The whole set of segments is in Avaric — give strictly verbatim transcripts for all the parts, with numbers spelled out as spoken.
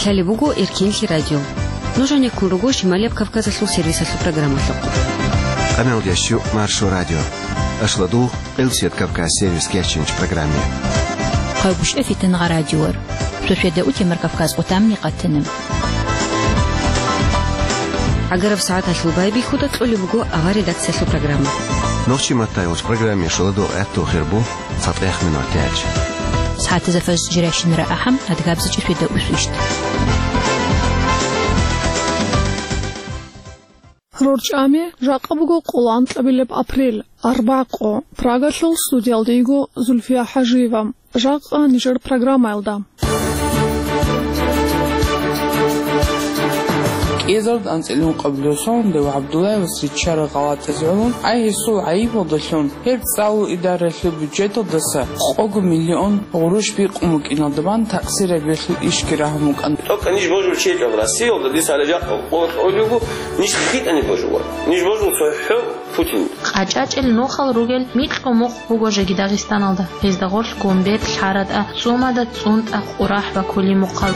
Лъалеб буго Эркенлъи радио. Нуж гьанеккун руго Шималияб Кавказалъул сервисалъул программалъухъ. Къамелдящу Маршо радио. Ашладугъ, Къилсият Кавказ сервис кечинч программе. Хъайгущ эфитан гъа радиор. Сосведа утемар Кавказ къутамни къатана. Агараб сагӀаталъул байбихьуда кьолеб буго авар редакциялъул программа. Нохчи матайулч программе шуладу гӀатту хирбу. ЦатӀех минутач. СагӀатазда фаз жиращинара ахӀам, адгабза чӀишвида усвищт. РорчӀами, жакъа буго къоло анкьабилеб апрель, арбакъо, Прагалъул студиялда йиго Зульфия ХӀажиева. Жакъа нижер программаялда. КӀиазарда анцӀила ункъабилеб соналда ва ГӀабдуллаевас риччарал гъалатӀазе гӀоло, ай гьесул гӀайибалдалъун гьеб цӀалул идаралъул бюджеталдаса къого миллион гъурущ бикъун букӀиналда бан такъсир гьабиялъул ишги рагьун букӀана. Только ниж божул чечӀал Россиялда, дица гьале жакъа къо-, къолюгу, ниж хитӀани божула. Ниж божул цохӀо Путин. КъачӀачӀел нухал ругел микьго мухъ буго жеги Дагъистаналда. Гьезда гъорлъ Гомбет, ЛъаратӀа, ЦӀумада, ЦӀунтӀа, Къурахь ва Кулимухъал.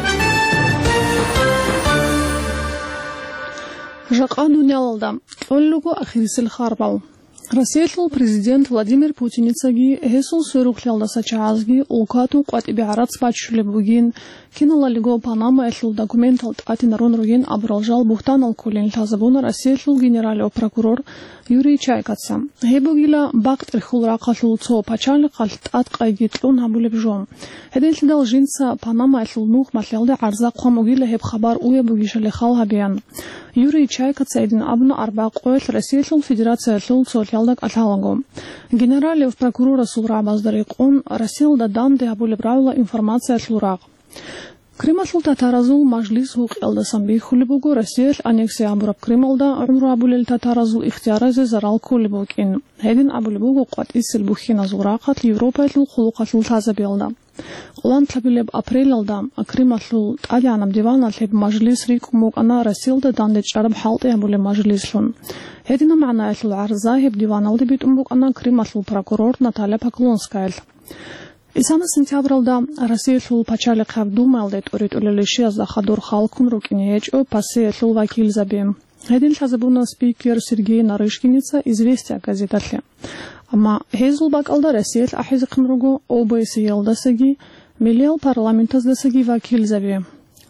Жакъа дуниялалда кьолел руго ахирисел харбал. Россиялъул президент Владимир Путиницаги гьесул сверухълъиялдаса чагӀазги улкатун къватӀибе гӀарац баччулеб бугин, киналалиго Панамаялъул документал тӀатинарун ругин абурал жал бугьтанал кколин лъазабуна Россиялъул генералияб прокурор Юрий Чайкаца. Гьеб бугила бакъ-тӀерхьул рахъалъул цо пачалихъалъ тӀадкъайги кьун гьабулеб жо. Гьединлъидал жинца Панамаялъул нух малъиялде гӀарза хъван бугила гьеб хабар уяб бугищали хал гьабеян. Юрий Чайкаца гьедин абуна арбакъоялъ Россиялъул Федерациялъул цолъиялда кӀалъалаго. Генералияб прокурорасул рагӀабазда рекъон Россиялда данде гьабулеб рагӀула информациялъул рагъ. Крымалъул татаразул мажлис гьукъиялдасан бихьулеб буго Россиялъ аннексия гьабураб Крымалда гӀумру гьабулел татаразул ихтияразе зарал кколеб букӀин. Гьедин абулеб буго къватӀисел бухьиназул рахъалъ Европаялъул хъулухъалъул лъазабиялда. Къоло анкьабилеб апрелалда Крымалъул тӀадегӀанаб диваналъ гьеб мажлис рикӀкӀун букӀана Россиялда дандечӀараб хӀалтӀи гьабулеб мажлислъун. Гьединаб магӀнаялъул гӀарза гьеб диваналде битӀун букӀана Крымалъул прокурор Наталья Поклонскаялъ. Исана сентябралда Россиялъул пачалихъаб Думаялде тӀуритӀулел ришиязда хадур халкун рукӀине гьечӀо ПАСЕялъул вакилзаби. Гьедин лъазабуна спикер Сергей Нарышкиница «Известия» газеталъе. Амма гьезул бакӀалда Россиялъ ахӀизехъин руго ОБСЕялдасаги, миллиял парламентаздасаги вакилзаби.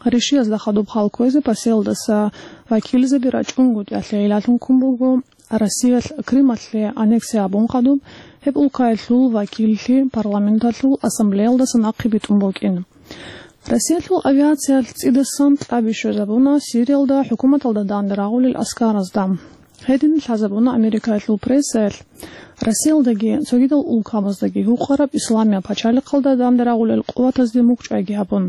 Ришиязда хадуб хал кквезе ПАСЕялдаса вакилзаби рачӀунгутӀиялъе гӀиллалъун ккун буго, Россиялъ Крымалъе аннексия гьабун хадуб, гьеб улкаялъул вакиллъи парламенталъул ассамблеялдаса нахъе битӀун букӀин. Россиялъул авиациялъ цӀидасан кьаби щвезабуна Сириялда хӀукуматалда данде рагъулел аскаразда. Гьедин лъазабуна Америкаялъул прессаялъ Россиялдаги цогидал улкабаздаги гьукъараб Исламияб пачалихъалда данде рагъулел къуватазде мукӀчӀайги гьабун.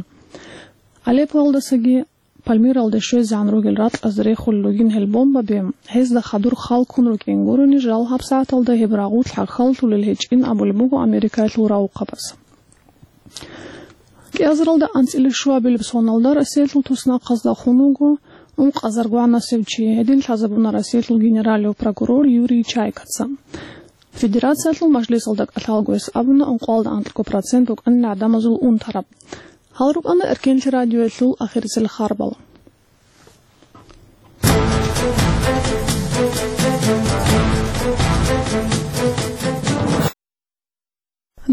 Алеппоялдасаги Пальмиралде щвезегӀан ругел ракьазда рехулел ругин гьел бомбаби, гьезда хадур халкун рукӀин гурони, жал гьабсагӀаталда гьеб рагъулъ хӀалхьаллъулел гьечӀин абулеб буго Америкаялъул равухъабаз. КӀиазаралда анцӀила щуабилеб соналда Россиялъул туснахъазда хун вуго ункъазаргогӀанасев чи, гьедин лъазабуна Россиялъул генералияб прокурор Юрий Чайкаца. Федерациялъул мажлисалда кӀалъалго гьес абуна, ункъоялда анкьго процент букӀанила гӀадамазул унтараб. Гьал рукӀана Эркенлъи радиоялъул ахирисел харбал.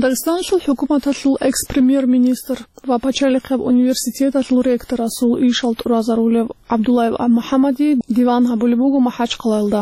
Дагъистаналъул хӀукуматалъул экс-премьер-министр ва пачалихъаб университеталъул ректорасул ишал тӀуразарулев ГӀабдуллаев МухӀаммади диван гьабулеб буго МахӀачхъалаялда.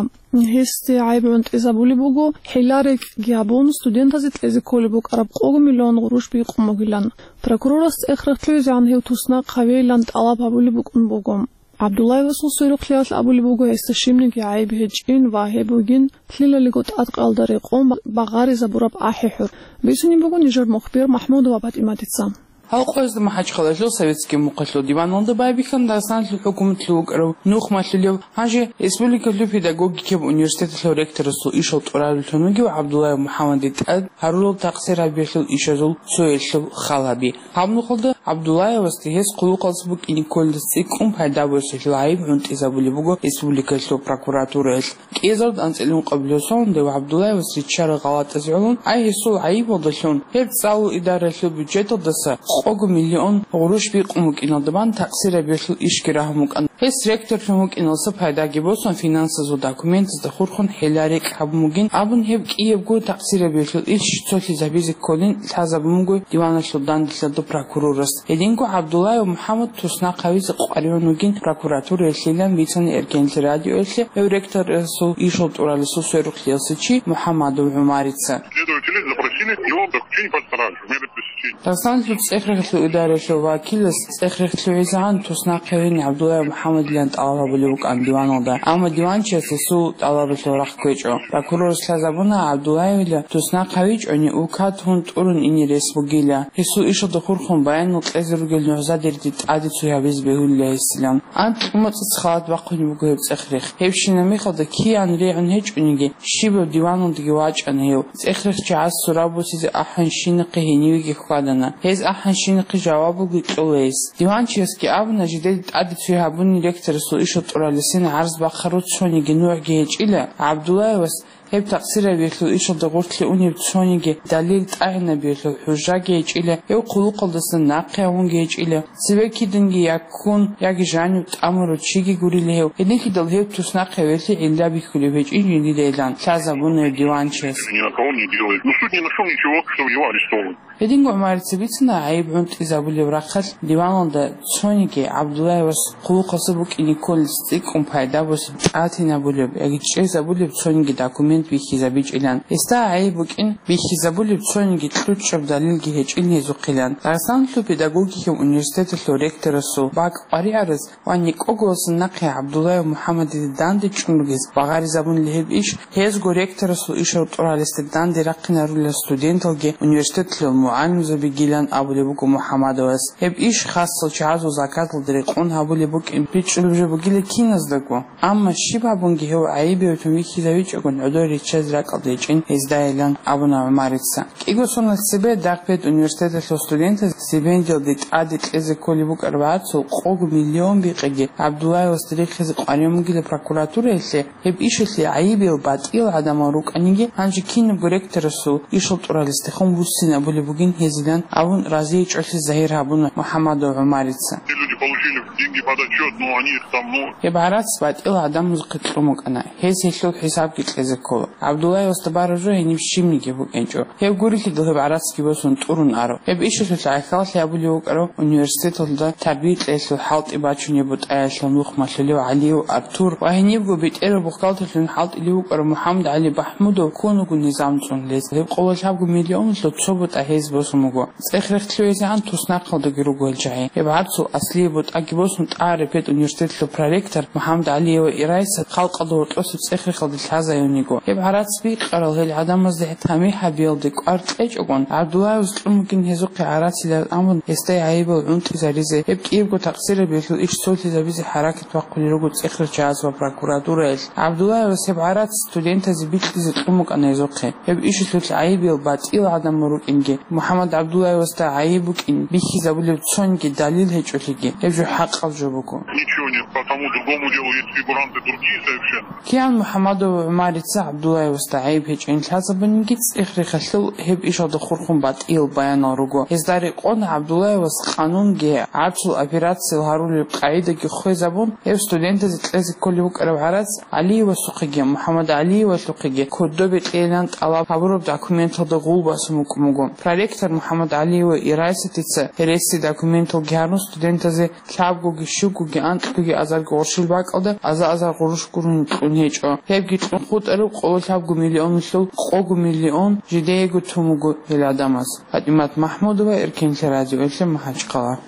Гьесде гӀайиб гӀунтӀизабулеб буго, хӀилла-рекӀкӀги гьабун, студентазе кьезе кколеб букӀараб къого миллион гъурущ бикъун бугилан. Прокурорас цӀех рехсолъизегӀан гьев туснахъ гьавейилан тӀалаб гьабулеб букӀун буго. ГӀабдуллаевасул сверухълъиялъ абулеб буго гьесда щибниги гӀайиб гьечӀин ва гьеб бугин лъилалиго тӀадкъаялда рекъон багъаризабураб ахӀи-хӀур. Бицунеб буго нижер мухбир МахӀмудова ПатӀиматица. Гьал къоязда МахӀачхъалаялъул Советский мухъалъул диваналда байбихьана Дагъистаналъул хӀукуматалъув вукӀарав нух малъулев, гьанже республикалъул педагогикияб университеталъул ректорасул ишал тӀураруллъун вугев ГӀабдуллаев МухӀаммади тӀад гьарурал такъсир гьабиялъул ишазул цоялъул хал гьаби. Гьаб нухалда ГӀабдуллаевасда гьес хъулухъалдаса букӀине кколелдаса цӀикӀкӀун пайда бугесулъ гӀайиб гӀунтӀизабулеб буго республикалъул прокуратураялъ. КӀиазарда анцӀила ункъабилеб соналда ГӀабдуллаевас риччарал гъалатӀазе гӀоло, ай гьесул гӀайибалдалъун гьеб цӀалул идаралъул бюджеталдаса къого миллион гъурущ бикъун букӀиналда бан такъсирабиялъул ишги рагьун букӀана. Гьес ректорлъун вукӀиналса пайдаги босун, финансазул документазда хурхун хӀела-рекь гьабун бугин абун, гьеб кӀиябго такъсирабиялъул иш цолъизабизе кколин лъазабун буго диваналъул данделъалда прокурорас. Гьединго ГӀабдуллаев МухӀаммад туснахъ гьавизе къваригӀун вугин прокуратураялъилан бицана Эркенлъи радиоялъе гьев ректорасул ишал тӀуралесул сверухълъиялса чи МухӀаммадов ГӀумарица. Следователи запросили его заключение под стражу, меры пресечения. Дагъистаналъул цӀех-рехлъул идаралъул вакилас цӀех-рехлъугӀизегӀан туснахъ гьавин ГӀабдуллаев МухӀаммадилан тӀалаб гьабулеб букӀан диваналда, амма диванчияс гьесул тӀалабалъул рахъ кквечӀо. Прокурорас лъазабуна ГӀабдуллаевила туснахъ гьавичӀони, улкат гьун тӀурун ине рес бугила. Гьесул ишалда хурхун баянал кьезе ругел нугӀзадерги тӀаде цой гьабизе бегьулила гьесилан. Анкь мацӀица халат бахъунеб буго гьеб цӀех-рех. Гьебщинаб мехалда киян регӀун гьечӀониги, щибаб диваналдаги вачӀана гьев. ЦӀех-рех чагӀаз сураб босизе ахӀанщинахъе гьенивеги хьвадана. Гьез ахӀанщинахъе жавабалги кьола гьес. Диванчиясги абуна, жидеде тӀаде цой гьабуни ректорасул ишал тӀуралесин гӀарз бахъару цониги нугӀги гьечӀила, ГӀабдуллаевас гьеб такъсирабиялъул ишалда гъорлъе унеб цониги далил тӀагӀинабиялъул хӀужаги гьечӀила, гьев хъулухъалдасан нахъе гьавунги гьечӀила, цебе киданги я ккун, яги жанив тӀамурав чиги гурила гьев. Гьединлъидал гьев туснахъ гьавиялъе гӀилла бихьулеб гьечӀин жиндидайилан лъазабуна гьев диванчияс. Ни на кого не делает. Ну, суд не нашёл ничего, что его арестовывают. Гьединго ГӀумарица бицана гӀайиб гӀунтӀизабулеб рахъалъ диваналда цониги ГӀабдуллаевас хъулухъаса букӀине кколес цӀикӀкӀун пайда босеб, тӀатинабулеб яги чӀезабулеб цониги документ бихьизабичӀилан. Гьесда гӀайиб букӀин бихьизабулеб цониги кьучӀаб далилги гьечӀин гьезухъилан. Дагъистаналъул педагогикияв университеталъул ректорасул бакӀ къваригӀараз ва некӀоголасан нахъе ГӀабдуллаев МухӀаммадида данде чӀун ругез багъаризабунила гьеб иш, гьезго ректорасул ишал тӀуралесда данде рахъинарулел студенталги университеталъул мугӀалимзабигилан абулеб буго МухӀаммадовас. Гьеб иш хасал чагӀазул заказалда рекъон гьабулеб букӀин бичӀчӀулеб жо бугила киназдаго. Амма щиб гьабунги гьев гӀайиб гьавитун вихьизавичӀогун гӀодор риччазе ракӀалда гьечӀин гьездайилан абуна ГӀумарица. КӀиго соналъ цебе дагъ педуниверситеталъул студентаз стипендиялде тӀаде кьезе кколеб букӀараб гӀарцул къого миллион бикъиги ГӀабдуллаевасда рихизе къваригӀун бугила прокуратураялъе, гьеб ишалъе гӀайибиял батӀиял гӀадамал рукӀаниги, гьанже кинабго ректорасул ишал тӀуралесдехун вуссинабулеб бугин гьезилан абун разиячӀолъи загьир гьабуна МухӀаммадов ГӀумарица. Те люди получили деньги под отчёт, но они их там, ну, Гьеб гӀарац батӀиял гӀадамазухъе кьун букӀана, гьез гьелъул хӀисабги кьезе ккола. ГӀабдуллаевасда бараб жо гьениб щибниги букӀинчӀо. Гьеб гурелъидал гьеб гӀарацги босун тӀурун аро. Гьеб ишалъулъ гӀахьаллъи гьабулев вукӀарав университеталда тарбия кьеялъул хӀалтӀи бачунеб бутӀаялъул нух малъулев ГӀалиев Артур ва гьенибго бетӀерал бухгалтерлъун хӀалтӀулев вукӀарав МухӀаммад ГӀали Бахмудов ккун вуго низам цӀунулез. Гьеб къоло лъабго миллионалъул цо бутӀа гьез босун буго. ЦӀех-рехлъугӀизегӀан туснахъалдаги руго гьел чагӀи. Гьеб гӀарцул аслияб бутӀаги босун тӀагӀари педуниверситеталъул проректор МухӀаммад ГӀалиева Ирайса халкъалда гьоркьосеб цӀех-рехалде лъазаюниго. Гьеб гӀарац бикъарал гьел гӀадамазда тамихӀ гьабиялде кӀвар кьечӀогун, ГӀабдуллаевас кьун бугин гьезухъе гӀарацилан абун, гьесда гӀайибал гӀунтӀизаризе, гьеб кӀиябго такъсирабиялъул иш цолъизабизе хӀаракат бахъулел руго цӀех-рехчагӀаз ва прокуратураялъ. ГӀабдуллаевас гьеб гӀарац студентазе бикьизе кьун букӀана гьезухъе. Гьеб ишалъулъ гӀайибиял батӀиял гӀадамал рукӀинги, МухӀаммад ГӀабдуллаевасда гӀайиб букӀин бихьизабулеб цониги далил гьечӀолъиги, гьеб жо хӀакъаб жо буго. Ничего нет, по тому другому делу есть фигуранты другие совершенно. Киян МухӀаммадов ГӀумарица ГӀабдуллаевасда гӀайиб гьечӀин лъазабуниги, цӀех-рехалъул гьеб ишалда хурхун батӀиял баянал руго. Гьезда рекъон ГӀабдуллаевас къанунги гӀарцул операциял гьарулеб къагӀидаги хвезабун, гьев студентазе кьезе кколеб букӀараб гӀарац ГӀалиевасухъеги МухӀаммад ГӀалиевалъухъеги кодобе кьейилан тӀалаб гьабураб документалда гъул босун букӀун буго. Проректор МухӀаммад ГӀалиева Ирайсатица гьереси документалги гьарун студентазе лъабгоги, щугоги, анкьгоги азарго гъурущил бакӀалда аза-азар гъурущ гурони кьун гьечӀо. Гьебги кьун хутӀараб къоло лъабго миллионалъул къого миллион жидеего тун буго гьел гӀадамаз. ПатӀимат МахӀмудова, Эркенлъи радиоялъе, МахӀачхъала.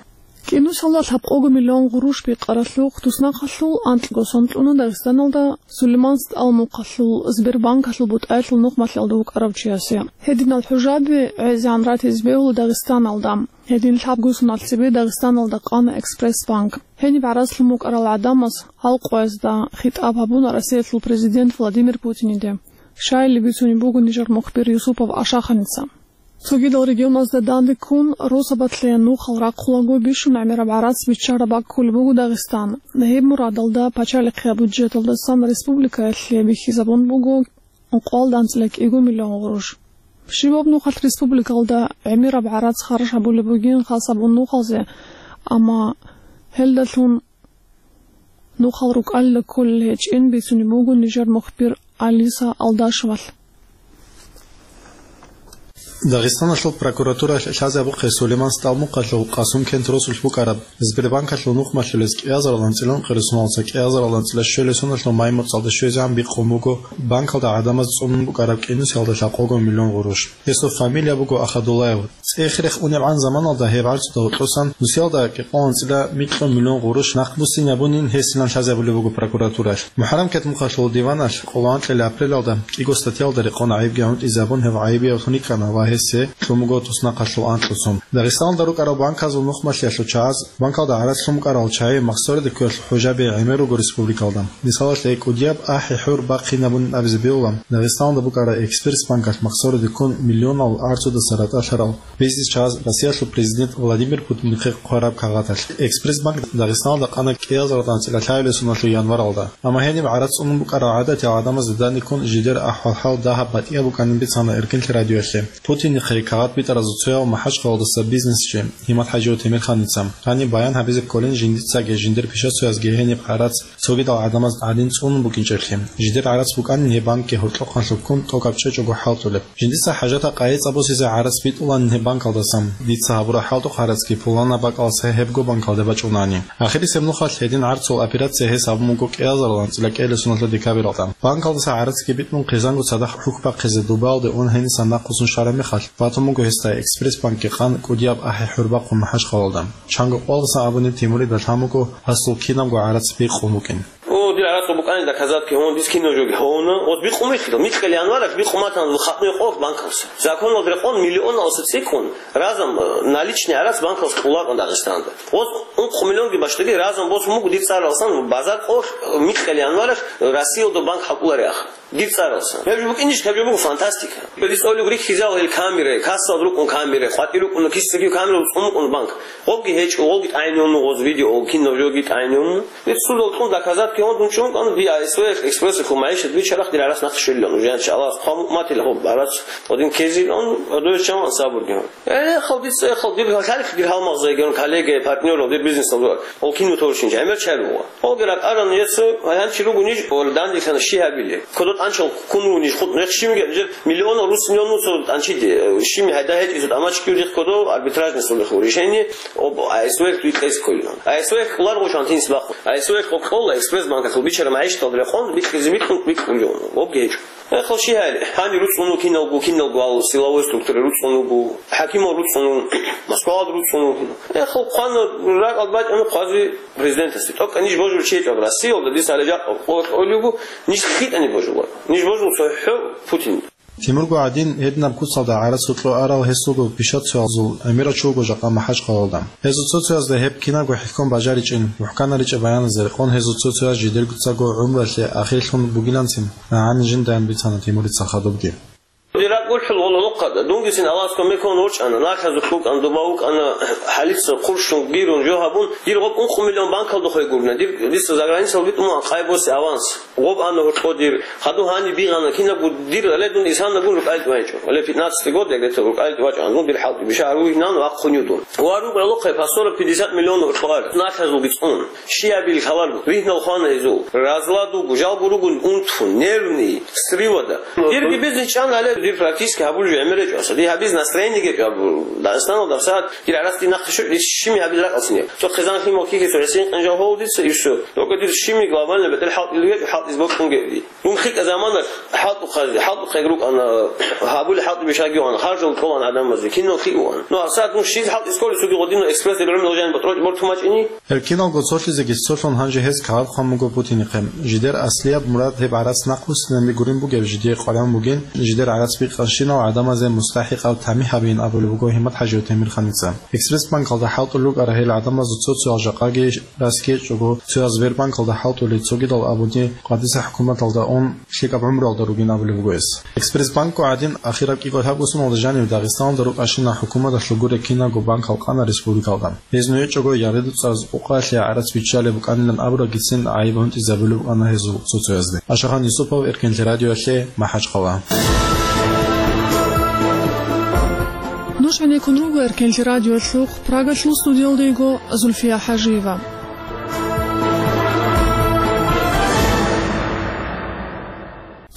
КӀинусалда лъабкъого миллион гъурущ бикъаралъухъ туснахъалъул анкьго сон кьуна Дагъистаналда Сулейман СтӀал мухъалъул Сбербанкалъул бутӀаялъул нух малъалда вукӀарав чиясе. Гьединал хӀужаби гӀезегӀан ратизе бегьула Дагъистаналда. Гьедин лъабго соналъ цебе Дагъистаналда къана Экспресс-банк. Гьениб гӀарац лъун букӀарал гӀадамаз гьал къоязда хитӀаб гьабуна Россиялъул президент Владимир Путиниде. Щайилеб бицунеб буго нижер мухбир Юсупов Ашаханица. Цогидал регионазда данде ккун, росабалъе нухал рахъулаго бищун гӀемераб гӀарац биччараб бакӀ кколеб буго Дагъистан. Гьеб мурадалда пачалихъе бюджеталдасан республикаялъе бихьизабун буго къоло данцӀила кӀиго миллион гъурущ. Щибаб нухалъ республикалда гӀемераб гӀарац харж гьабулеб бугин хасабун нухалзе, амма гьелдалъун нухал рукӀалда кколел гьечӀин бицунеб буго нижер мухбир Алиса Алдашевалъ. Дагъистаналъул прокуратураялъ лъазе абухъе Сулейман СтӀалмукъалъул Къасумкент росулъ букӀараб Сбербанкалъул нухмалъулез кӀиазарал анцӀила ункъоялдаса кӀиазарал анцӀила щуялдасаго май моцӀалда щвезегӀан бихъун буго банкалда гӀадамаз цӀунун букӀараб кӀинусиялда лъабкъого миллион гъурущ. Гьесул фамилия буго Ахадуллаев. ЦӀех-рех унебгӀан заманалда гьеб гӀарцуда гьоркьосан нусиялда кӀикъоялдаса микьго миллион гъурущ нахъбуссинабунин гьесилан лъазабулеб буго прокуратуралъ. МухӀаррам кетмухъалъул диваналъ къоло анкьила апрелалда кӀиго статьялда рекъон гӀайибги гӀунтӀизабун гьев гӀайибиявлъун йикӀана ва гьесие лъун буго туснахъалъул анкьго сон. Дагъистаналда рукӀарал банказул нухмалъиялъул чагӀаз банкалда гӀарац лъун букӀарал чагӀи махсароде кколелъул хӀужаби гӀемер руго республикалда. Мисалалъе, кӀудияб ахӀи-хӀур бахъинабун абизе бегьула, Дагъистаналда букӀараб Экспресс банкалъ махсароде ккун миллионал гӀарцудаса ратӀалъарал бизнес чагӀаз Россиялъул президент Владимир Путинихъе хъвараб кагъаталъ. Экспресс банк Дагъистаналда къана кӀиазарал анцӀила лъабилеб соналъул январалда. Амма гьениб гӀарац цӀунун букӀарал гӀадатиял гӀадамазда данде ккун жидер ахӀвал-хӀал дагьаб батӀияб букӀанин бицана Эркинлъи радиоялъе. Путинихъе кагъат битӀаразул цояв МахӀачхъалаялдаса бизнесчи Гьимат-ХӀажиев Темирханица. Гьаниб баян гьабизе кколин жиндицаги жиндир пишацоязги гьениб гӀарац цогидал гӀадамаз гӀадин цӀунун букӀинчӀеблъи. Жидер гӀарац букӀанин гьеб банкги гьоркьохъанлъуб ккун тӀокӀаб чӀечӀого хӀалтӀулеб. Жиндица хӀажатаб къайи цӀа босизе гӀарац битӀуланин гьеб банкалдасан. Дица гьабураб хӀалтӀухъ гӀарацги пуланаб бакӀалдаса гьебго банкалде бачӀунани. Ахирисеб нухалъ гьедин гӀарцул операция гьес гьабун буго кӀиазарал анцӀила кӀиабилеб соналъул декабралда. Банкалдаса гӀарацги битӀун хъизанго цадахъ хӀухь бахъизе Дубаялде ун гьенисан нахъвуссун щвараб мехалъ, батун буго гьесда Экспресс банкги къан кӀудияб ахӀи-хӀур бахъун МахӀачхъалалда. Чанго кӀвалдасан абуни Тимурида лъан буго гьасул кинабго гӀарац бикъун букӀин. О, дир гӀарацал букӀанин доказатки гьун, дис кинаб жоги гьавуна. Ос бикъумихъила, микьил январалъ бикъуматан хатӀуе къорх банкалса. Законалда рекъон миллионалса цӀикӀкӀун, разом, э, наличный гӀарац банкалса кьуларкъун Дагъистанда. Ос ункъ миллионги башдаги разом босун буго дир цӀаралсан базар къорх, э, микьил январалъ Россиялда банк хӀалкӀолариха. Дир цӀаралсан. Гьеб жо букӀинищ, гьеб жо буго фантастика. Дир цӀолеб рихьизал гьел камера, кассал рукӀун камера, къватӀи рукӀун, киса камера цӀун букӀун банк. Гъобги гьечӀо, гъолги тӀайнуна, гъоз видео, кино жоги тӀайнуна. Дир судал кьун доказатки гьондун чӀун кӀан, ди АСВ Экспресс хъумайищ, ди чарах дир гӀарац нахъ щвелилан, уже анча Аллагьас хъван мукъматила гьоб гӀарац, гъодин кезилан, гьодояс чаман сабурги гьон. Эхал, дица эхал, дир гьалхалихъ дир гьалмагъзайги гьон, коллега, партнёрал, дир бизнесал дуар. Ол кино торчинчи, гӀемер чарулгъа. Олги ракӀаран ецо, гьанчи ругуниж, ол дандихъана щи гьабили. Кодо тӀанчал ккун ругуниж, хутӀ рехшимги, жер миллионал рус миллион нуцо тӀанчиди, э, щими гьайда гьечӀизу тӀамачги рихъ кодо арбитражный судехъ решение, об АСВ-хъ бикьес кколилан. АСВ-хъ кьулар гъочан тинс бахъун. АСВ-хъ кьола Экспресс банкахъул бичара магӀишаталда рекъон, бикьизе бикьун, бикьулев. Обги гьечӀо. Эхал щи гьайли, гьани руцӀцӀуну киналго, киналго ал силовой структура руцӀцӀунуго, хӀакимал руцӀцӀуну, Москвалда руцӀцӀуну. Эхал хъвана ракӀал бачӀана хъвази президентасде. ТӀокӀа ниж божул чечӀаб Россиялда, диса гьале жакъа къо-, къолиго, ниж хитӀани божула. Ниж божул цохӀо Путин. Тимурго гӀадин, гьединаб куцалда гӀарац гьоркьо арал гьесулго пишацоязул гӀемерачи вуго жакъа МахӀачхъалалда. Гьезул цо-цоязда гьеб кинабго хӀехьон бажаричӀин, мухӀканаричӀеб баяназе рекъон гьезул цо-цояз жидерго цаго гӀумруялъе ахирлъун бугиланцин, нагӀани жиндаан бицана Тимурица хадубги. Дир ракӀ гурхӀул гъоло нухъада, дунгицин Аллагьас кумекун ворчӀана, налъазухъ букӀана, дуба вукӀана, хӀалица хъурщун, гирун, жо гьабун, дир гъоб ункъ миллион банкалда хвей гурна, дир, дица заграницал битӀун къай босе аванс. Гъоб ана гьоркьо дир, хадув гьаниб бигъана, кинабго дир, але дун исанагун рукӀайилъ вачӀо. Але пятнадцатый год, я где-то рукӀайилъ вачӀана, ну, дир хӀалтӀи биша гьару вигьнан ва хъунив дун. Ва рукӀа лохъе по сорок пятьдесят миллион гьоркьо ар, налъазулги цӀун. Щиабил халал, вигьнал хвана гьезул. Разлад вуго, жалго ругун унтун, нервный, сривода. Дирги бизнес чӀан але, дир практически гьабулеб жо гӀемер гьечӀо. Ди гьабиз настроение гьечӀо абу. Дагъистаналда сагьат дир гӀарац динахъе щугӀ, дир щими гьабиз ракӀалцин гьеб. Цо хъизан химал кихьесо гӀисин къинжал гьолдица ирсо. Только дир щими глобально бетӀер хӀалтӀил гьечӀо, хӀалтӀиз бокьун гьеб ди. Дун хикӀа замана хӀалтӀухъазе, хӀалтӀухъе рукӀана, гьабули хӀалтӀи бишаги ван, харжал кьолан гӀадамазе, кинал хиъ ван. Ну, гьасат дун щиз хӀалтӀиз кколесуги гъодинав экспресс дир гӀумру жан батӀрочӀ бортумачӀини? Гьеб киналго цолъизеги цолъун гьанже гьез кагъат хъван буго Путинихъе. Жидер аслияб мурад гьеб гӀарац нахъбуссинабги гурин бугеб жидее къваригӀун бугин, жидер гӀарац бикъанщинал гӀадамазе мустахӀикъаб тамихӀ гьабиин абулеб буго ГьиматхӀажиев Темирханица. Экспресс банкалда хӀалтӀулел рукӀарал гьел гӀадамазул цо-цоял жакъаги Россиялъе чӀого, цояз Сбербанкалда хӀалтӀулел цогидал абуни къватӀиса хӀукуматалда ун лъикӀаб гӀумруялда ругин абулеб буго гьес. Экспресс банкго гӀадин, ахираб кӀикӀо лъабго соналда жанив Дагъистаналда рукӀанщина хӀукуматалъул гуреб кинабго банкал къана республикалда. Гьез нужее чӀого ягъи-дуцӀаз къукъаялъе гӀарац биччалеб букӀанилан абурабгицин гӀайиб гьунтӀизабулеб букӀана гьезул цо-цоязде. Ашахан Юсупов, Эркинлъи радиоялъе, МахӀачхъала. Нуж гӀенеккун руго Эркенлъи радиолъухъ, Прагалъул студиялда йиго Зульфия ХӀажиева.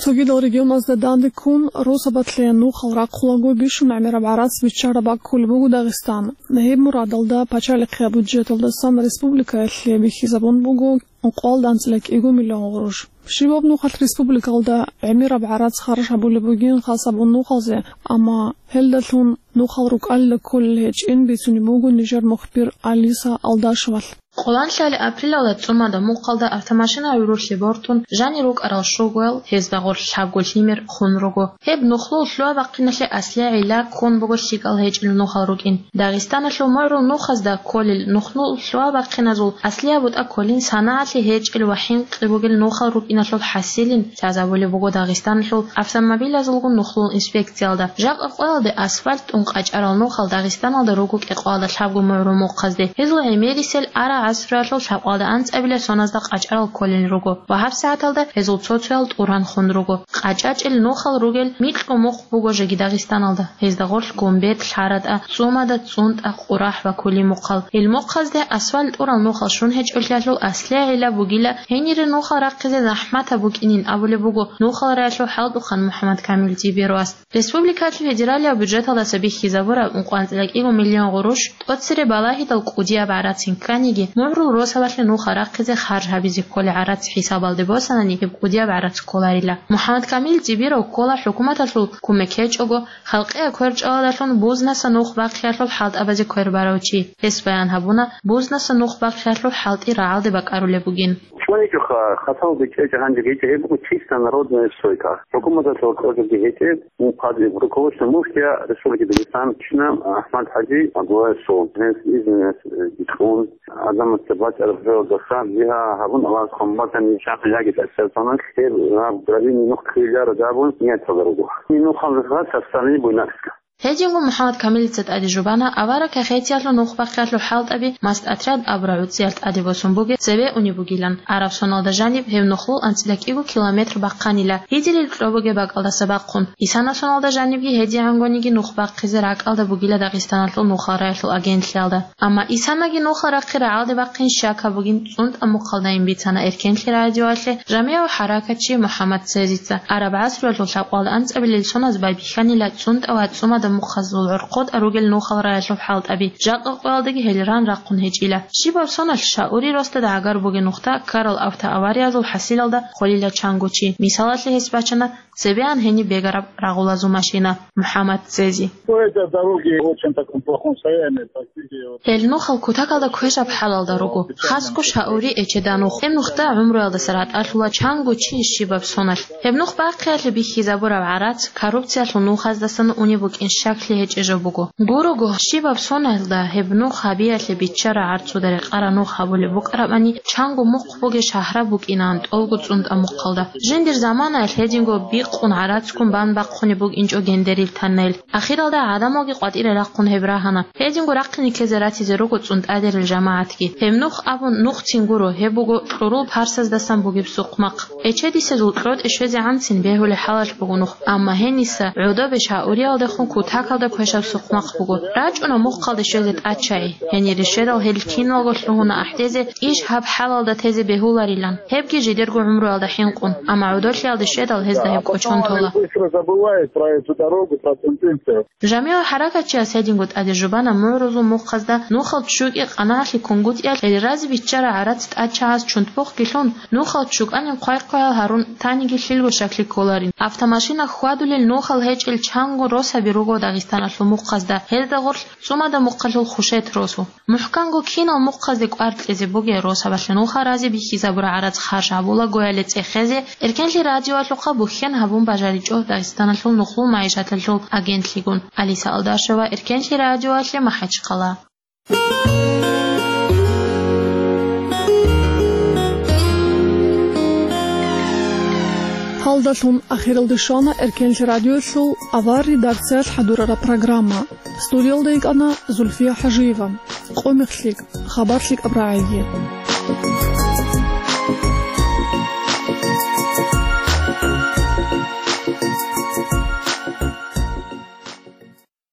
Цогидал регионазда данде ккун, росабалъе нухал рахъулаго бищун гӀемераб гӀарац биччараб баккулеб буго Дагъистан. Гьеб мурадалда пачалихъе бюджеталдасан республикаялъе бихьизабун буго ункъоялда анцӀила кӀиго миллион гъурущ. Щибаб нухалъ республикалда гӀемераб гӀарац харж гьабулеб бугин хасабун нухалзе, амма гьелдалъун нухал рукӀалила кколел гьечӀин бицунеб буго нижер мухбир Алиса Алдашевалъ. Къоланлъали апрелалда цӀумада мухъалда автомашина гӀурулъе бортун жанир рукӀарал щугоял гьезда гъорлъ лъабго лъимер хун руго. Гьеб нухлул лъугьа-бахъиналъе аслиягӀила ккун буго лъикӀал гьечӀел нухал рукӀин. Дагъистаналъул мугӀрул нухазда кколел нухлул лъугьа-бахъиназул аслияб бутӀа кколин санагӀалъе гьечӀел ва хӀинкъи бугел нухал рукӀиналъул хӀасилин лъазабулеб буго Дагъистаналъул автомобилазулгун нухлул инспекциялда. Жакъа къоялде асфальт тӀун къачӀарал нухал Дагъистаналда руго кӀикъоялда лъабго мугӀрул мухъазде. Гьезул гӀемерисел ара гӀасруялъул лъабкъоялда анцӀабила соназда къачӀарал кколел руго ва гьабсагӀаталда гьезул цо-цоял тӀуран хун руго. КъачӀачӀел нухал ругел микьго мухъ буго жеги Дагъистаналда. Гьезда гъорлъ Гумбет, ЛъаратӀа, ЦӀумада, ЦӀунтӀа, Къурахь ва Кулимухъал. Гьел мухъазде асфальт тӀурал нухал щун гьечӀолъиялъул аслиягӀила бугила гьенире нухал рахъизе захӀматаб букӀинин абулеб буго нухал раялъул хӀалтӀухъан МухӀаммад Камил Зибировас. Республикалъул федералияб бюджеталдаса бихьизабураб ункъоялда анцӀила кӀиго миллион гъурущ тӀоцере балагьидал кӀудияб гӀарацин кканиги, мугӀрул росабалъе нухал рахъизе харж гьабизе кколел гӀарац хӀисабалде босанани, гьеб кӀудияб гӀарац кколарила. МухӀаммад Камил Зибиров ккола хӀукуматалъул кумек гьечӀого, халкъияб кверчӀалалдалъун бузнаса нух бахъиялъул хӀалтӀабазе квербарав чи. Гьес баян гьабуна бузнаса нух бахъиялъул хӀалтӀи рагӀалде бакӀарулеб бугин. ЧӀваничӀоха, хасал бечӀечӀ гьанже гьечӀеб буго чисто народная стройка. ХӀукуматалъул кьожаги гьечӀеб, мухъазе руководство мухья Республики Дагестан чна Ахмад ХӀажи Абдуллаевсул. Гьес изну гьес, э, бикьун, адамасда бачӀараб жоялдаса бигьа гьабун, Аллагьас хъван батани, чахъ яги тӀасалсанас, гьеб гьаб грабини нух ккелародабун нияталда руго. Нухалда гьас состояние буйнакска. Гьединго МухӀаммад Камилица тӀаде жубана авараг Кахетиялъул нух бахъиялъул хӀалтӀаби МастӀотряд абураб гӀуцӀиялъ тӀаде босун бугеб цебе унеб бугилан. Араб соналда жаниб гьеб нухлул анцӀила кӀиго километр бахъанила, гьединлъи кьо бугеб бакӀалдаса бахъун. Исана соналда жанибги гьедигӀангониги нух бахъизе ракӀалда бугила Дагъистаналъул нухал раялъул агентлъиялда. Амма Исанаги нухал рахъи рагӀалде бахъин щакаб бугин ЦӀунтӀа мухъалдайин бицана Эркенлъи радиоялъе жамигӀав хӀаракатчи МухӀаммад Цезица. Араб гӀасруялъул лъабкъоялда анцӀабилел соназ байбихьанила ЦӀунтӀа ва ЦӀумада мухъазул гӀорхъотӀа ругел нухал раялъул хӀалтӀаби, жакъа къоялдаги гьел ран рахъун гьечӀила. Щибаб соналъ Шаури росдада гӀагар бугеб нухда ккарал автоавариязул хӀасилалда холила чанго чи. Мисалалъе гьес бачана цебеян гьениб бегараб рагъулазул машина. МухӀаммад Цези. По этой дороге в очень таком плохом состоянии, практически вот. Гьел нухал кутакалда квешаб хӀалалда руго. Хасго Шаури эчеда нух. Гьеб нухда гӀумруялдаса ратӀалъула чанго чи щибаб соналъ. Гьеб нух бахъиялъе бихьизабураб гӀарац коррупциялъул нухаздасан унеб букӀин щаклъи гьечӀеб жо буго. Гурого, щибаб соналда гьеб нух гьабиялъе биччара гӀарцуда рекъара нух гьабулеб букӀарабани, чанго мухъ бугеб шагьраб букӀинаан тӀолго ЦӀунтӀа мухъалда. Жиндир заманаялъ гьединго бикъун гӀарацгун бан бахъунеб букӀинчӀо гендерил танел. Ахиралда гӀадамалги къватӀире рахъун гьеб рагьана. Гьединго рахъине ккезе ратизе руго ЦӀунтӀадерил жамагӀатги. Гьеб нух абун нухцин гуро, гьеб буго кьурул парсаздасан бугеб сукъмахъ. Эчедисе зул кьотӀи щвезе гӀанцин бегьулеб хӀалалъ буго нух, амма гьениса гӀодобе Шауриялдехун кутакалда квешаб сукъмахъ буго. РачӀуна мухъалде щвезе тӀад чагӀи. Гьенире щведал гьел киналго лъугьуна ахӀдезе, иш гьаб хӀалалда тезе бегьуларилан, гьебги жидерго гӀумруялда хӀинкъун, амма гӀодолъиялде щведал гьезда гьеб кӀочон тола. Быстро забывает про эту дорогу, про сентенцию. ЖамигӀав хӀаракатчияс гьединго тӀаде жубана мугӀрузул мухъазда нухал чӀукӀи къанагӀалъи кунгутӀиялъ гьел разе биччара гӀарац тӀад чагӀаз чунтбухъги лъун, нухал чӀукӀанин хъвай-хъваял гьарун таниги лъилго щаклъи кколарин. Автомашина хьвадулел нухал гьечӀел чанго росаби руго Дагъистаналъул мухъазда, гьелда гъорлъ ЦӀумада мухъалъул Хушет росу. МухӀканго кинал мухъазде кӀвар кьезе бугеб росабалъе нухал разе бихьизабураб гӀарац харж гьабулагоялде цӀехезе, Эркенлъи радиоялъухъа бухьен гьабун бажаричӀо Дагъистаналъул нухлул магӀишаталъул агентлъигун. Алиса Алдашева, Эркенлъи радиоялъе, МахӀачхъала. Гьалдалъун ахиралде щвана Эркенлъи радиоялъул авар редакциялъ хӀадурараб программа. Студиялда йикӀана Зульфия ХӀажиева. Къо мехлъи, хабар лъикӀаб рагӀиги.